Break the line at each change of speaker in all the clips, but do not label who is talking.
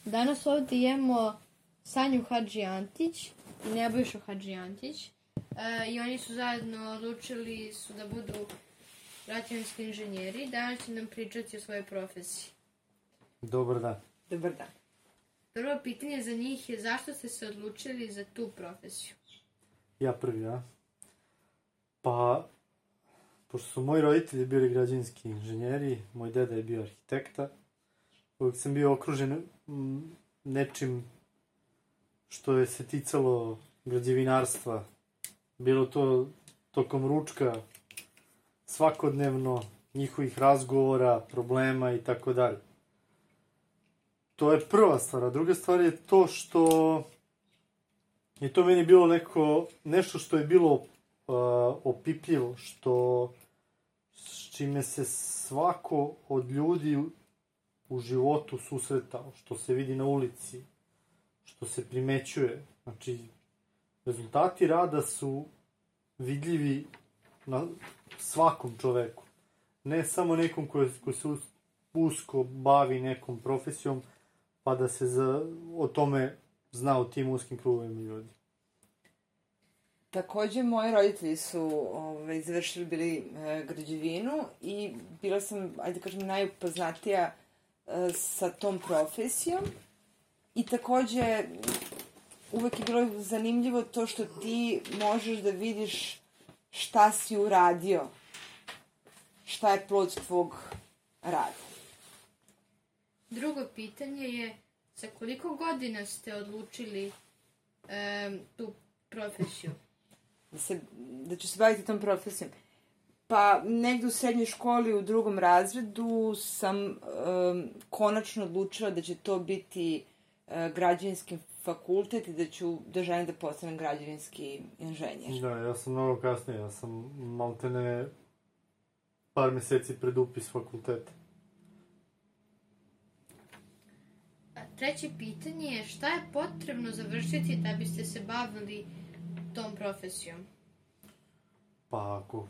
Danas ovdje imamo Sanju Hadžiantić i Nebojšu Hadžiantić. I oni su zajedno odlučili da budu građevinski inženjeri. Danas će nam pričati o svojoj profesiji.
Dobar dan.
Dobar dan.
Prvo pitanje za njih je zašto ste se odlučili za tu profesiju?
Ja prvi, ja? Pa, pošto su moji roditelji bili građevinski inženjeri, moj deda je bio arhitekta, uvijek sam bio okružen nečim što je se ticalo građevinarstva. Bilo to tokom ručka, svakodnevno, njihovih razgovora, problema i tako dalje. To je prva stvar, a druga stvar je to što je to meni bilo nešto što je bilo opipljivo, s čime se svako od ljudi u životu susretao, što se vidi na ulici, što se primećuje. Znači, rezultati rada su vidljivi na svakom čoveku. Ne samo nekom koji se usko bavi nekom profesijom, pa da se o tome zna u tim uskim krugovima ljudi.
Takođe, moji roditelji su završili bili građevinu i bila sam, ajde kažem, najupoznatija sa tom profesijom. I takođe, uvek je bilo zanimljivo to što ti možeš da vidiš šta si uradio, šta je plod tvog rada.
Drugo pitanje je, za koliko godina ste odlučili tu profesiju?
Da ću se baviti tom profesijom. Pa, negde u srednjoj školi, u 2. razredu, sam konačno odlučila da će to biti građevinski fakultet i da želim da postanem građevinski inženjer.
Da, ja sam mnogo kasnije. Ja sam maltene par meseci pred upis fakulteta.
Treće pitanje je šta je potrebno završiti da biste se bavili tom profesijom?
Pa ako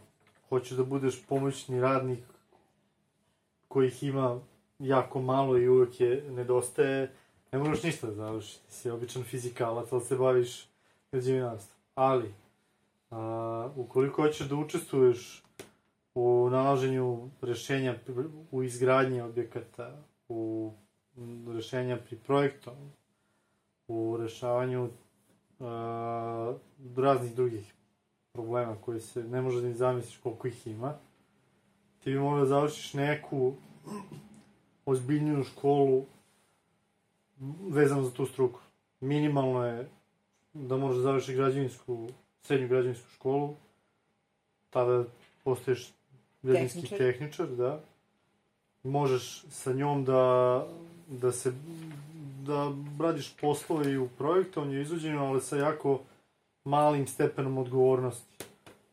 hoćeš da budeš pomoćni radnik kojih ima jako malo i uvek je nedostaje, ne moraš ništa da završiš. Ti si običan fizikalac, ali se baviš građevinarstvom. Ali, ukoliko hoćeš da učestvuješ u nalaženju rešenja u izgradnji objekata, u rešenja pri projektu, u rešavanju raznih drugih problema koji se ne može da ni zamisliš koliko ih ima, ti bi mogla da završiš neku ozbiljniju školu vezano za tu struku. Minimalno je da možeš da završiš srednju građevinsku školu, tada postaješ građevinski tehničar, da. Možeš sa njom da radiš poslove i u projektovanju i izvođenju, ali sa jako malim stepenom odgovornosti.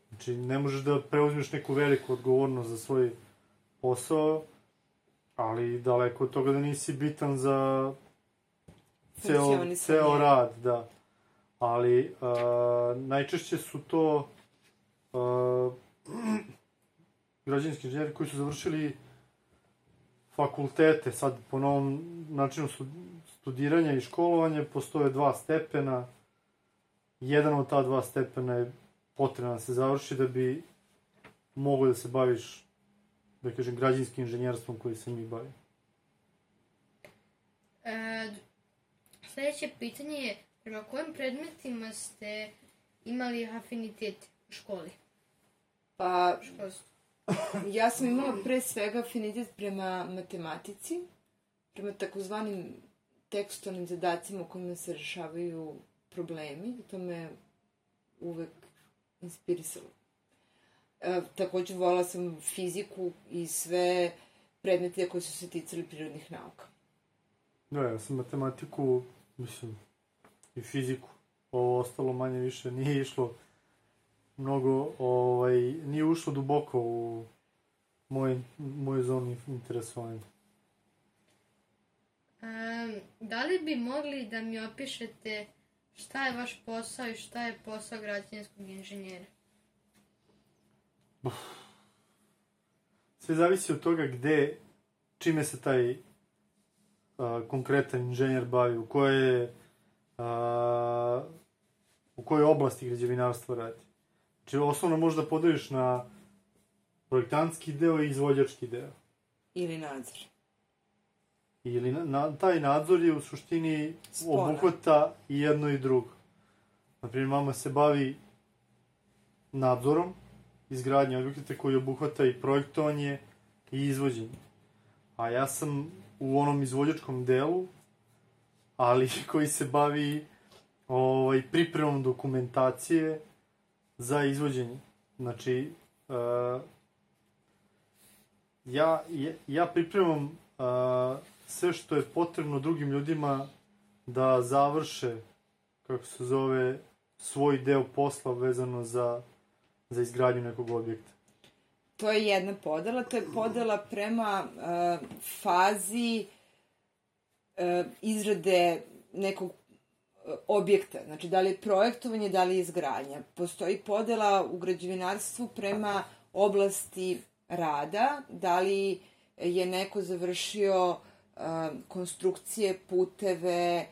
Znači, ne možeš da preuzmeš neku veliku odgovornost za svoj posao, ali daleko od toga da nisi bitan za ceo rad, da. Ali najčešće su to građevinski inženjeri koji su završili fakultete. Sad, po novom načinu studiranja i školovanja postoje 2 stepena. Jedan od ta 2 stepena je potrebno da se završi da bi mogao da se baviš, da kažem, građevinskim inženjerstvom koji se mi bavi.
Sljedeće pitanje je, prema kojim predmetima ste imali afinitet u školi?
Pa, ja sam imala pre svega afinitet prema matematici, prema takozvanim tekstualnim zadacima u kojima se rešavaju problemi. To me uvek inspirisalo. Takođe, volala sam fiziku i sve predmete koji su se ticali prirodnih nauka.
Da, ja sam matematiku, i fiziku. Ovo ostalo manje više nije išlo mnogo, nije ušlo duboko u moju zonu interesovanja.
Da li bi mogli da mi opišete šta je vaš posao i šta je posao građevinskog inženjera?
Sve zavisi od toga čime se taj konkretan inženjer bavi, u kojoj oblasti građevinarstva radi. Znači, osnovno možeš da podeliš na projektantski deo i izvođački deo.
Ili nadzor.
Ili taj nadzor je u suštini obuhvata i jedno i drugo. Naprimjer, mama se bavi nadzorom izgradnje objekata koji obuhvata i projektovanje i izvođenje. A ja sam u onom izvođačkom delu, ali koji se bavi pripremom dokumentacije za izvođenje. Znači, ja pripremam sve što je potrebno drugim ljudima da završe, kako se zove, svoj deo posla vezano za izgradnju nekog objekta.
To je jedna podela, to je podela prema fazi izrade nekog objekta, znači da li je projektovanje, da li je izgradnja. Postoji podela u građevinarstvu prema oblasti rada, da li je neko završio konstrukcije, puteve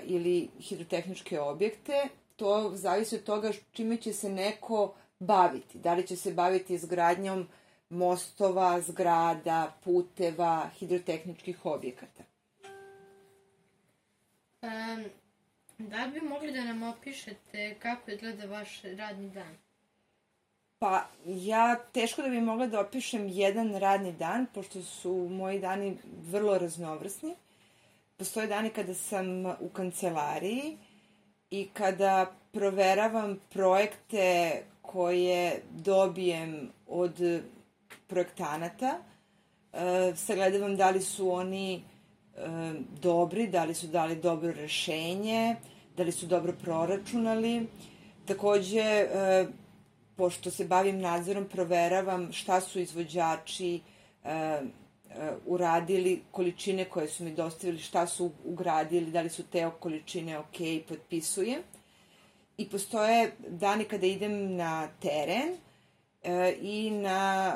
ili hidrotehničke objekte. To zavisi od toga čime će se neko baviti. Da li će se baviti izgradnjom mostova, zgrada, puteva, hidrotehničkih objekata.
Da bi mogli da nam opišete kako izgleda vaš radni dan?
Pa, ja teško da bi mogla da opišem jedan radni dan, pošto su moji dani vrlo raznovrsni. Postoje dani kada sam u kancelariji i kada proveravam projekte koje dobijem od projektanata, sagledavam da li su oni dobri, da li su dali dobro rešenje, da li su dobro proračunali. Takođe, pošto se bavim nadzorom, proveravam šta su izvođači uradili, količine koje su mi dostavili, šta su ugradili, da li su te količine ok, potpisujem. I postoje dani kada idem na teren i na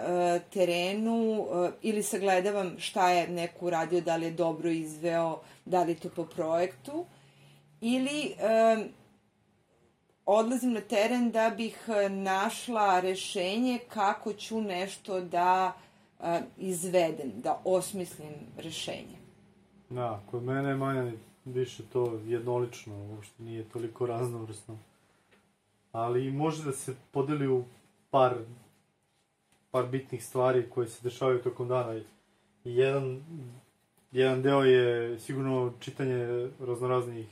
terenu ili sagledavam šta je neko uradio, da li je dobro izveo, da li je to po projektu, ili odlazim na teren da bih našla rešenje kako ću nešto da izvedem, da osmislim rešenje.
Da, kod mene je manje više to jednolično, uopšte nije toliko raznovrsno. Ali može da se podeli u par bitnih stvari koje se dešavaju tokom dana. I jedan deo je sigurno čitanje raznoraznih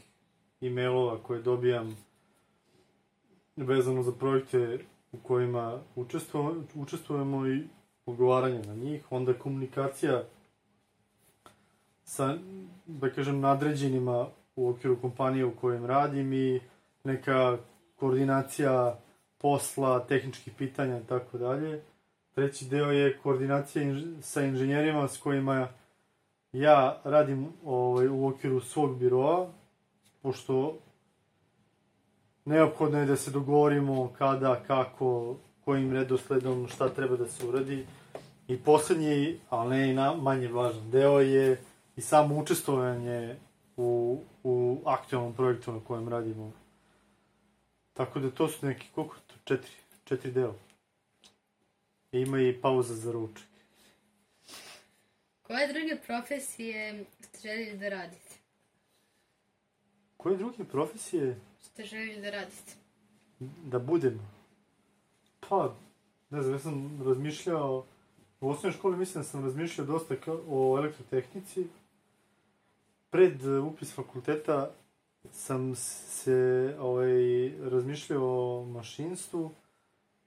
e-mailova koje dobijam vezano za projekte u kojima učestvujemo i odgovaranje na njih. Onda komunikacija sa, da kažem, nadređenima u okviru kompanije u kojem radim i neka koordinacija posla, tehničkih pitanja i tako dalje. Treći deo je koordinacija sa inženjerima s kojima ja radim u okviru svog biroa, pošto neophodno je da se dogovorimo kada, kako, kojim redosledom, šta treba da se uradi. I poslednji, ali ne i manje važan deo je i samo učestvovanje u aktualnom projektu na kojem radimo. Tako da to su neki, koliko to? 4 dela. I ima i pauza za ručak.
Koje druge profesije ste željeli da radite?
Koje druge profesije
ste željeli da radite?
Da budem? Pa, ne znam, ja sam razmišljao, u osnovnoj školi mislim da sam razmišljao dosta o elektrotehnici. Pred upis fakulteta sam se razmišljao o mašinstvu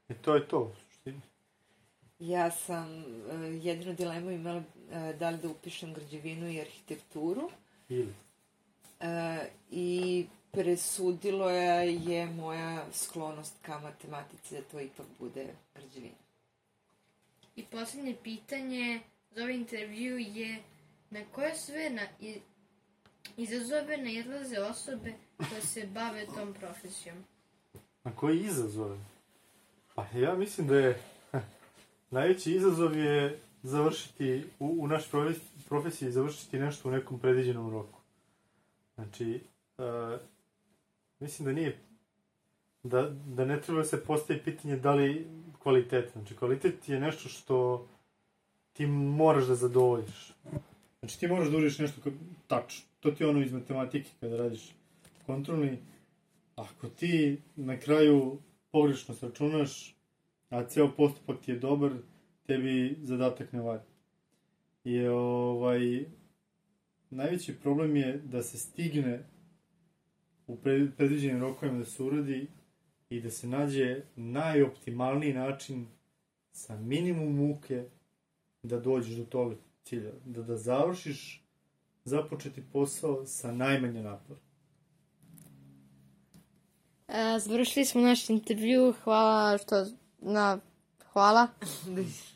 i to je to, u suštini.
Ja sam jedinu dilemu imala da li da upišem građevinu i arhitekturu.
Ili?
I presudilo je moja sklonost ka matematici da to ipak bude građevina.
I poslednje pitanje za ovaj intervju je na koje sve izazove nailaze osobe koje se bave tom profesijom?
Na koji izazove? Pa ja mislim da je najveći izazov je završiti u našoj profesiji, završiti nešto u nekom predviđenom roku. Znači, mislim da nije, da ne treba se postavi pitanje da li kvalitet. Znači, kvalitet je nešto što ti moraš da zadovoljiš. Znači, ti moraš da užiš nešto tačno. To ti je ono iz matematike kada radiš kontrolni. Ako ti na kraju pogrešno sračunaš, a ceo postupak ti je dobar, tebi zadatak ne valja. I najveći problem je da se stigne u predviđenim rokovima da se uradi i da se nađe najoptimalniji način sa minimum muke da dođeš do tog cilja. Da završiš započeti posao sa najmanje napora.
Završili smo naš intervju. Hvala.